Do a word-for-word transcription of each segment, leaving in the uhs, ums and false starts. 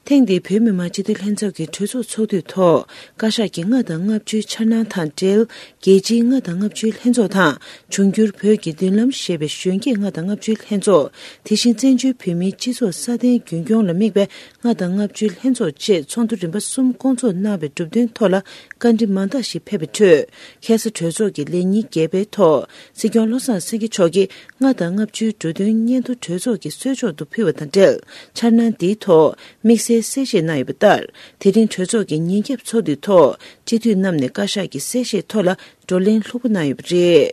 ཐེངས་འདིའི་བོད་མི་མང་སྤྱི་འཐུས་ལྷན་ཚོགས་ཀྱི་གྲོས་ཚོགས་ཚོགས་དུས་ཐོག་བཀའ་ཤག་གི་ལྔ་དང་ལྔ་བཅུའི་འཆར་སྣང་དང་འབྲེལ། རྒྱལ་སྤྱིའི་ལྔ་དང་ལྔ་བཅུའི་ལྷན་ཚོགས་དང་། འབྱུང་འགྱུར་བོད་ཀྱི་མདུན་ལམ་ཞེས་པའི་གཞོན་སྐྱེས་ལྔ་དང་ལྔ་བཅུའི་ལྷན་ཚོགས། དེ་བཞིན་བཙན་བྱོལ་བོད་མིའི་སྤྱི་ཚོགས་སྲ་བརྟན་རྒྱུན་སྐྱོང་ལ་དམིགས་པའི་ལྔ་དང་ལྔ་བཅུའི་ལྷན་ཚོགས་བཅས་ཚོགས་འདུ་རིམ་པ་གསུམ་བསྐོང་ཚོགས་གནང་བའི་གྲུབ་དོན་ཐོག་ལ་བཀའ་འདྲི་མང་དག་ཞིག་ཕེབས་པའི་ཁྲོད། ཁ་སང་གྲོས་ཚོགས་ཀྱི་ལས་ཉིན་བརྒྱད་པའི་ཐོག་སྲིད་སྐྱོང་བློ་བཟང་སེང་གེ་མཆོག་གིས་ལྔ་དང་ལྔ་བཅུའི་གྲོས་དོན་སྙན་ཐོ་གྲོས་ཚོགས་ཀྱི་གསོལ་ལྕོག་ཏུ་ཕུལ་བ་དང་འབྲེལ། འཆར་སྣང་འདིའི་ཐོག་དམིགས་བསལ་གསལ་བཤད་གནང་ཡོད་པ་ལྟར། དེ་རིང་གྲོས་ཚོགས་ཀྱི་ཉིན་རྒྱབ་ཚོགས་འདུའི་ཐོག་སྤྱི་འཐུས་རྣམས་ནས་བཀའ་ཤག་གི་གསལ་བཤད་ཐོག་ལ་བགྲོ་གླེང་ལྷུག་པོ་གནང་ཡོད་པ་རེད།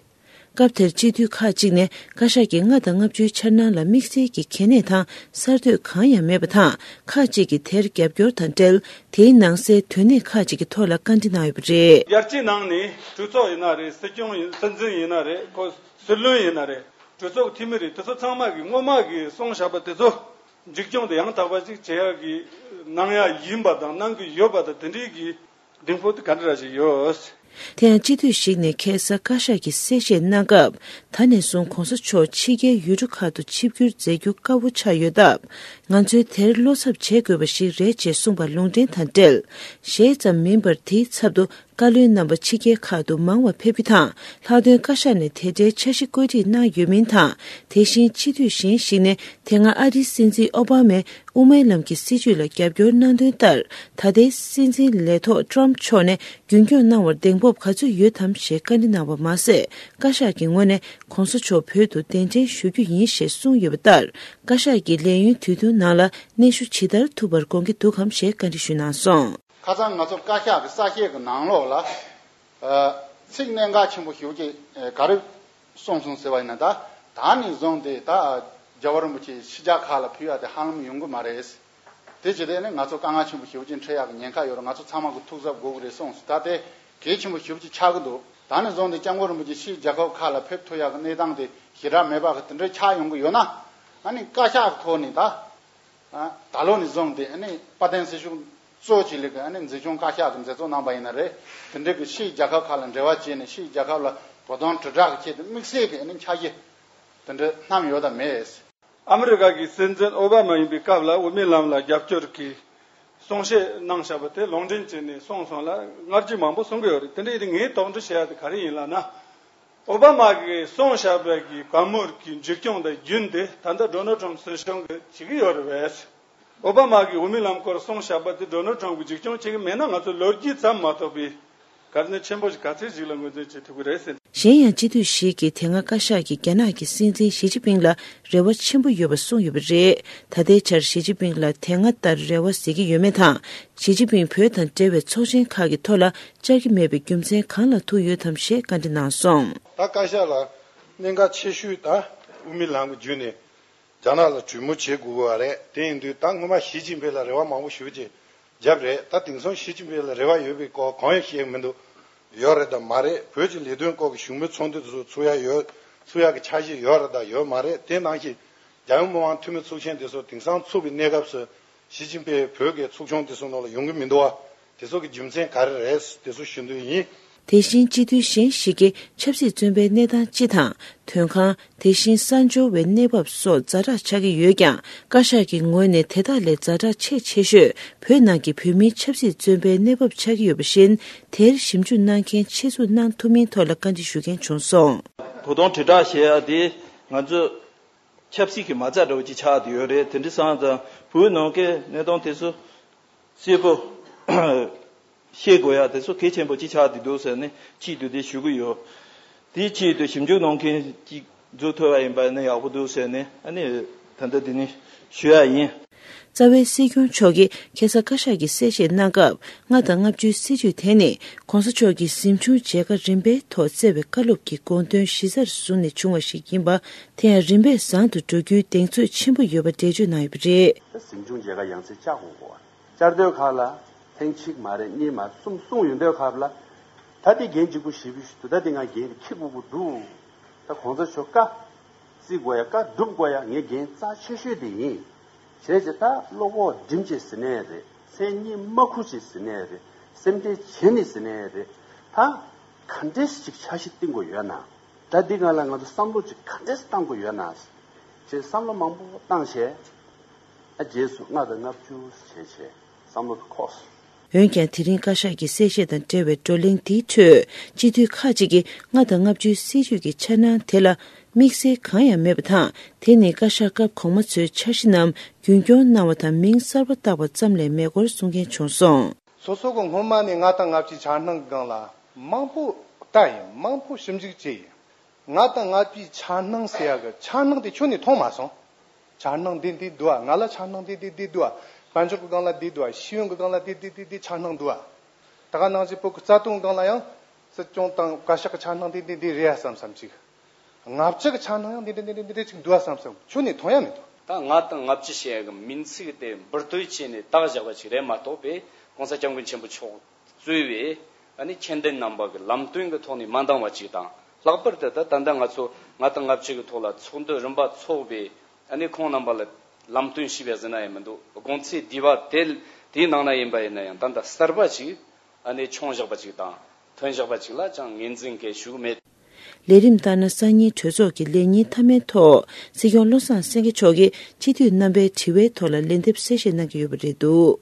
སྐབས་དེར་སྤྱི་འཐུས་ཁག་ཅིག་ནས་བཀའ་ཤག་གི་ལྔ་དང་ལྔ་བཅུའི་འཆར་སྣང་ལ་དམིགས་བསལ་གྱི་གལ་གནད་དང་གསར་གཏོད་གང་ཡང་མེད་པ་དང་། ཁག་ཅིག་གིས་དེར་རྒྱབ་སྐྱོར་དང་འབྲེལ། དེའི་ནང་གསལ་དོན་གནད་ཁག་ཅིག་གི་ཐོག་ལ་བཀའ་འདྲི་གནང་ཡོད་པ་རེད། ཡར་རྒྱས་གནང་ནས་གྲོས་ཚོགས་ཡིན་ན་རེད། སྲིད་སྐྱོང་ཡིན། སྲིད་འཛིན་ཡིན་ན་རེད། ཁོ་སྲིད་བློན་ཡིན་ན་རེད། གྲོས་ཚོགས་འཐུས་མི་རེད། དེ་ཚོ་ཚང་མ་གིས་སྔོན་མ་གི་གསུངས་བཞག་པ་དེ་ཚོ་འཛུགས་སྐྱོང་དེ་ཡང་དག་པ་ཅིག་བྱེད་ཡག་གི་གནང་ཡག་ཡིན་པ་དང་། གནང་གི་ཡོད་པ་དང་། དེ་འདྲའི་གི་གདེང་སྤོབས་དེ་ག་འདྲ་ཞིག་ཡོད། དེ་ཡང་སྤྱི་འཐུས་ཤིག་ནས་ཁ་སང་བཀའ་ཤག་གིས་གསལ་བཤད་གནང་སྐབས། ད་ནས་བཟུང་གོང་ས་མཆོག་ཕྱི་རྒྱལ་ཡུལ་གྲུ་ཁག་ཏུ་ཆིབས་བསྒྱུར་མཛད་རྒྱུ་དཀའ་བོ་ཆགས་ཡོད་སྟབས། ང་ཚོས་དེར་བློ་འཚབ་བྱེད་དགོས་པ་ཞིག་རེད་ཅེས་གསུངས་པ་ལུང་འདྲེན་དང་འབྲེལ། ཞེ་ཙམ་མིན་པར་དེའི་ཚབ་ཏུ་བཀའ་བློན་རྣམ་པ་ཕྱི་རྒྱལ་ཁག་ཏུ་མང་བ་ཕེབས་རྒྱུ་དང་། ལྷག་དོན་བཀའ་ཤག་ནས་དེ་འདྲའི་འཆར་གཞི་བཀོད་སྒྲིག་གནང་ཡོད་མིན་དང་། དེ་བཞིན་སྤྱི་འཐུས་གཞན་ཞིག་ནས་དེ་སྔ་ཨ་རིའི་སྲིད་འཛིན་ཨོ་བྷ་མས་དབུ་མའི་ལམ་གྱི་སྲིད་བྱུས་ལ་རྒྱབ་སྐྱོར་གནང་དོན་ལྟར། ད་ལྟའི་སྲིད་འཛིན་ལས་ཐོག་ཏྲམ་མཆོག་ནས་རྒྱུན་སྐྱོང་གནང་བར་གདེང་སྤོབས་ག་ཚོད་ཡོད་དམ་ཞེས་བཀའ་འདྲི་གནང་བ་མ་ཟད། བཀའ་ཤག་གི་ངོས་ནས་གོང་ས་མཆོག་བོད་དུ་གདན་འདྲེན་ཞུ་རྒྱུ་ཡིན་ཞེས་གསུངས་ཡོད་པ་ལྟར། བཀའ་ཤག་གིས་ལས་ཡུན་དུས་ཐུང་ནང་ལ་སྙན་ཞུ་ཇི་ལྟར་ཐུབ་པར་དགོངས་ཀྱི་འདུག་གམ་ཞེས་བཀའ་འདྲི་ཞུས་གནང་སོང་། ཁ་སང་ང་ཚོ་བཀའ་ཤག་གི་གསལ་བཤད་ཀྱི་ནང་ལོགས་ལ། ཨ། ཚིག་གནད་འགག་ཆེན་པོ་ཞེ་པོ་ཅིག་ཨ། ག་རེ་གསུངས་སོང་ཟེར་བ་ཡིན་ན། ད་ད་ནས་བཟུང་སྟེ་ད་རྒྱལ་བ་རིན་པོ་ཆེ་ཕྱི་རྒྱལ་ཁག་ལ་ཕེབས་ཡ་དེ་ཧ་ལམ་ཡོང་གི་མ་རེད། དེ་བྱས་ཏེ་ནི་ང་ཚོ་དཀའ་ངལ་ཆེན་པོ་ཞེ་པོ་ཅིག་འཕྲད་ཡག་གི་ཉེན་ཁ་ཡོད་རེད། ང་ཚོ་ཚང་མ་གི་ཐུགས་གཟབ་དགོས་ཀྱི་རེད་གསུངས་སོང་། ད་དེ་གལ་ཆེན་པོ་ཞེ་པོ་ཅིག་ཆགས་ཀྱི་འདུག་ད་ནས་བཟུང་སྟེ་སྐྱབས་མགོན་རིན་པོ་ཆེ་ཕྱིའི་རྒྱལ་ཁབ་ཁག་ལ་ཕེབས་ཐུབ་ཡག་གི་གནས་སྟངས་དེ་ཞེ་དྲག་མེད་པ་གི་དེ་འདྲའི་ཆགས་ཡོང་གི་ཡོད་ན། ཨ་ནི་བཀའ་ཤག་གི་ཐོག་ནས་ད། ཨ། ད་ལོ་ནས་བཟུང་སྟེ་ཨ་ནི་དཔལ་ལྡན་སྲིད་གཞུང་གཙོ་ཆེ་ལེགས་ཀྱི་ཨ་ནི་འཛིན་སྐྱོང་བཀའ་ཤག་གི་མཛད་གཙོ་གནང་པ་ཡིན་ན་རེད། དེ་འདྲའི་གི་ཕྱིའི་རྒྱལ་ཁབ་ཁག་ལ་འབྲེལ་བ་བྱས་ནས་ཕྱིའི་རྒྱལ་ཁབ་ལ་བོད་དོན་དྲིལ་བསྒྲགས་ཀྱི་ཆེད་དུ་དམིགས་བསལ་གྱི་ཨ་ནི་འཆར་གཞི་དེ་འདྲ་བསྣམས་ཡོད་དམ་མེད། ཨ་མི་རི་ཀ་གི་སྲིད་འཛིན་ཨོ་བྷ་མ་ཡིན་པའི་སྐབས་ལ་དབུ་མའི་ལམ་ལ་རྒྱབ་སྐྱོར་གྱི་གསུང་བཤད་གནང་བཞག་པ་དེ་ལུང་འདྲེན་བྱས་ནས་གསུངས་སོང་ལ། སྔ་རྗེས་མང་པོ་གསུང་གི་ཡོད་རེད། དེ་འདྲ་ཡིན་དུས་ངས་དོགས་འདྲི་བྱེད་ཡ་དེ་ག་རེ་ཡིན་ལབ་ན། ཨོ་བྷ་མ་གིས་གསུངས་བཞག་པའི་གི་བཀའ་མོལ་གྱི་འཛུགས་སྐྱོང་དང་རྒྱུན་དེ་ད་ལྟ་ཌོ་ནལ་ཊམ་སྲིད་གཞུང་གིས་བྱེད་ཀྱི་ཡོད་རེད་པས། ཨོ་བྷ་མ་གིས་དབུ་མའི་ལམ་སྐོར་གསུངས་བཞག་པ་དེ་ཌོ་ནལ་ཊམ་གྱིས་འཛུགས་སྐྱོང་བྱེད་ཀྱི་མེད་ན། ང་ཚོ་ལོ་རྒྱུས་ཙམ་མ་གཏོགས་པའི་གལ་གནད་ཆེན་པོ་ཞིག་ག་ཚོད་ཞིག་ལ་ངོས་འཛིན་བྱེད་ཐུབ་ཀྱི་རེད་ཟེར། གཞན་ཡང་སྤྱི་འཐུས་ཤིག་གིས་དེ་སྔ་བཀའ་ཤག་གིས་རྒྱ་ནག་གི་སྲིད་འཛིན་ཞི་ཅིན་ཕིང་ལ་རེ་བ་ཆེན་པོ་ཡོད་པ་གསུངས་ཡོད་པ་རེད། ད་ལྟའི་ཆར་ཞི་ཅིན་ཕིང་ལ་དེ་སྔ་ལྟར་རེ་བ་ཟེར་གྱི་ཡོད་མེད་དང་། ཞི་ཅིན་ཕིང་བོད་དང་འབྲེལ་བའི་ཚོགས་ཆེན་ཁག་གི་ཐོག་ལ་བཅར་གྱི་མེད་པའི་རྒྱུ་མཚན་གང་ལ་ཐུག་ཡོད་དམ་ཞེས་བཀའ་འདྲི་གནང་སོང་། ད་བཀའ་ཤག་ལ་གནད་འགག་ཆེ་ཤོས་ད་དབུ་མའི་ལམ་གྱི་བརྒྱུད་ནས་རྒྱ་ནག་ལ་གྲོས་མོལ་བྱེད་དགོས་པ་རེད། དེ་ཡིན་དུས་ད་སྔོན་མ་ཞི་ཅིན་ཕིང་ལ་རེ་བ་མང་པོ་ཞེ་པོ་ཅིག་བརྒྱབ་རེད། ད་དེང་སང་ཞི་ཅིན་ཕིང་ལ་རེ་བ་ཡོད་པའི་སྐོར་གང་ཡང་བཤད་ཀྱི་མི་འདུག་ཡོད་རེད་དང་མ་རེད། བོད་ཀྱི་ལས་དོན་སྐོར་གྱི་བཞུགས་མོལ་ཚོགས་འདུ་དེ་ཚོ་ཚུགས་ཡ་ཡོད། ཚུགས་ཡ་གི་འཆར་གཞི་ཡོད་རེད་དང་ཡོད་མ་རེད། དེ་ནང་བཞིན་རྒྱལ་ཡོངས་མི་མང་འཐུས་མི་ཚོགས་ཆེན་དེ་ཚོ་དེང་སང་ཚུགས་པའི་གནས་སྐབས་སུ་ཞི་ཅིན་ཕིང་བོད་ཀྱི་ཚོགས་ཆུང་དེ་ཚོ་ནང་ལ་ཡོང་གི་མི་འདུག་བ། དེ་ཚོ་གི་རྒྱུ་མཚན་ག་རེ་རེད། དེ་ཚོ་ཞུ་འདོད་ཡིན། དེ་བཞིན་སྤྱི་འཐུས་གཞན་ཞིག་གིས་ཆབ་སྲིད་བཙོན་པའི་གནས་སྟངས་སྤྱི་དང་། དོན་ཁང་། དེ་བཞིན་གསར་འབྱོར་བའི་གནས་བབ་སོགས་ཛ་དྲག་ཆགས་ཀྱི་ཡོད་ཀྱང་། བཀའ་ཤག་གི་ངོས་ནས་དེ་དག་ལས་ཛ་དྲག་ཆེས་ཆེ་ཤོས་བོད་ནང་གི་བོད་མིའི་ཆབ་སྲིད་བཙོན་པའི་གནས་བབ་ཆགས་ཀྱི་ཡོད་པ་བཞིན། དེར་ཞིབ་འཇུག་གནང་མཁན་ཆེད་འཛུགས་གནང་ཐུབ་མིན་ཐོག་ལ་བཀའ་འདྲི་ཞུ་མཁན་བྱུང་སོང་། བོད་དོན་དྲིལ་བསྒྲགས་བྱེད་ཡ་དེ་ང་ཚོ་ཆབ་སྲིད་ཀྱི་མ་རྩ་འདྲ་བོ་ཅིག་ཆགས་བསྡད་ཡོད་རེད། དེ་འདྲ་སོང་ཙང་བོད་ནང་གི་གནས་སྟངས་དེ་ཚོ་གསལ་པོ་ཤེས་དགོས་ཡ་དེ་ཚོ་གལ་ཆེན་པོ་ཅིག་ཆགས་བསྡད་འདུག་ཟེར་ནས་ཆེད་དུ་དེ་ཞུ་གི་ཡོད། དེའི་ཆེད་དུ་ཞིབ་འཇུག་གནང་མཁན་ཅིག་འཛུལ་ཐུབ་པ་ཡིན་པ་ནི་ཡག་པོ་འདུག་ཟེར་ནས་ཨ་ནི་ད་ལྟ་འདི་ནས་ཞུ་ཡ་ཡིན། རྩ་བའི་སྲིད་སྐྱོང་མཆོག་གིས་ཁ་སང་བཀའ་ཤག་གི་གསལ་བཤད་གནང་སྐབས། ལྔ་དང་ལྔ་བཅུའི་སྲིད་བྱུས་དེ་ནི་གོང་ས་མཆོག་གིས་གཟིམ་ཆུང་མཇལ་ཁ་རིམ་པའི་ཐོག་བསྩལ་བའི་བཀའ་སློབ་ཀྱི་དགོངས་དོན་གཞི་རྩར་བཟུང་ནས་བྱུང་བ་ཞིག་ཡིན་པ། དེ་ཡང་རིམ་པས་བཟང་དུ་འགྲོ་རྒྱུའི་གདེང་ཚོད་ཆེན་པོ་ཡོད་པ་འགྲེལ་བརྗོད་གནང་ཡོད་པ་རེད། གཟིམ་ཆུང་མཇལ་ཁ་ཡང་སེ་བཅར་དགོས་གོ། བཅར་དུས་ཁག་ལ་ཐེངས་གཅིག་མ་རེད། གཉིས་མ་རེད། གསུམ་གསུངས་ཡོང་དུས་ཁག་ལ། ད་དེ་འགན་གཅིག་པུ་ཞེ་པོ་ཞིག་འདུག་ད་དེ་ང་འགན་དེ་འཁྱེར་དགོས་ཀྱི་འདུག་ད་གོང་ས་མཆོག་བཀའ་བརྩི་དགོས་ཡ། བཀའ་སྒྲུབ་དགོས་ཡ་ངའི་འགན་རྩ་ཆེ་ཤོས་དེ་ཡིན། བྱས་ཙང་ད་བློ་ཁོག་སྒྲིམ་བྱས་ཟིན་ནའི་རེད། མཚན་སྙན་མ་ཁུར་བྱས་ཟིན་ནའི་རེད། སེམས་ཁྲལ་བྱས་ནས་ཟིན་ནའི་རེད། ད་ག་འདྲས་ཅིག་འཆར་གཞི་བཏིང་དགོས་ཡོད་ན། ད་འདི་སྒང་ལ་ང་ཚོ་བསམ་བློ་ཅིག་ག་འདྲས་བཏང་དགོས་ཡོད་ན། ཅེས་བསམ་བློ་མང་པོ་བཏང་བྱས། ཨ་རྗེས་སུ་ལྔ་དང་ལྔ་བཅུ་བྱས་བྱས་བསམ་བློ་འཁོར། འོན་ཀྱང་དེ་རིང་བཀའ་ཤག་གི་གསལ་བཤད་དང་འབྲེལ་བའི་བགྲོ་གླེང་འདིའི་ཁྲོད་སྤྱི་འཐུས་ཁག་ཅིག་གིས་ལྔ་དང་ལྔ་བཅུའི་སྲིད་ཇུས་ཀྱི་འཆར་སྣང་དེ་ལ་དམིགས་བསལ་གང་ཡང་མེད་པ་དང་། དེ་ནི་བཀའ་ཤག་སྐབས་གོང་མ་ཚོའི་འཆར་གཞི་རྣམས་རྒྱུན་སྐྱོང་གནང་བ་དང་མིང་གསར་པ་བཏགས་པ་ཙམ་ལས་མེད་སྐོར་གསུང་མཁན་བྱུང་སོང་། སོ་སོ་གི་སྔོན་མ་ནས་ལྔ་དང་ལྔ་བཅུའི་འཆར་སྣང་སྒང་ལ་མང་པོ་ལྟ་ཡིན། མང་པོ་ཞིབ་འཇུག་བྱས་ཡིན། ལྔ་དང་ལྔ་བཅུའི་འཆར་སྣང་ཟེར་ཡ་གི་འཆར་སྣང་དེ་ཁྱོན་ནས་མཐོང་མ་སོང་། འཆར་སྣང་འདི་འདི་འདུག་ཨ། ང་ལ་འཆར་སྣང་འདི་འདི་འདི་འདུག་ཨ། དཔལ་འབྱོར་གི་སྒང་ལ་འདི་འདུག་ཨ། ཤེས་ཡོན་གི་སྒང་ལ་འདི་འདི་འདི་འདི་འཆར་སྣང་འདུག་ཨ། ད་ག་ནང་བཞིན་བོད་གི་རྩ་དོན་སྒང་ལ་ཡང་སྲིད་སྐྱོང་དང་བཀའ་ཤག་གི་འཆར་སྣང་འདི་འདི་འདི་རེད་ཨ་བསམ་བསམ་ཅིག་ལྔ་བཅུ་གི་འཆར་སྣང་ཡང་འདི་འདི་འདི་འདི་འདི་ཅིག་འདུག་ཨ་བསམ་བསམ་ཁྱོན་ནས་མཐོང་ཡ་མི་འདུག་ད་ལྔ་དང་ལྔ་བཅུ་ཞེས་ཡ་གི་མིང་ཚིག་དེ་འབུར་དོད་བྱས་ནས་བཏགས་བཞག་པ་ཅིག་རེད་མ་གཏོགས་པས་༸གོང་ས་༸སྐྱབས་མགོན་ཆེན་པོ་མཆོག་གཙོས་པའི་ཨ་ནི་མཁྱེན་ལྡན་རྣམ་པ་གི་ལམ་སྟོན་གྱི་ཐོག་ནས་མ་འདང་བ་ཅིག་དང་། ལྷག་པར་དུ་ད་ད་ལྟ་ང་ཚོ་ལྔ་དང་ལྔ་བཅུ་གི་ཐོག་ལ་ཚོགས་འདུ་རིམ་པ་འཚོགས་པའི་ཨ་ནི་ཁོང་རྣམ་པ་ལ་ལམ་སྟོན་ཞུས་པ་ཟེར་ན་ཡང་མི་འདུག་དགོངས་ཚུལ་བསྡུས་པ་དེ་དེའི་ནང་ན་ཡིན་པ་ཡིན་ན་ཡང་ད་ལྟ་གསར་པ་ཅིག་ཨ་ནི་བྱུང་བཞག་པ་ཅིག་དང་ཐོན་བཞག་པ་ཅིག་ལ་ཅང་ངོས་འཛིན་གལ་ཞུ་གི་མེད། ལས་རིམ་ལྟར་ན་སང་ཉིན་གྲོས་ཚོགས་ཀྱི་ལས་ཉིན་མཐའ་མའི་ཐོག་སྲིད་སྐྱོང་བློ་བཟང་སེང་གེ་མཆོག་གིས་སྤྱི་འཐུས་རྣམ་པའི་དྲི་བའི་ཐོག་ལ་ལན་འདེབས་གསལ་བཤད་གནང་གི་ཡོད་པ་རེད་འདུག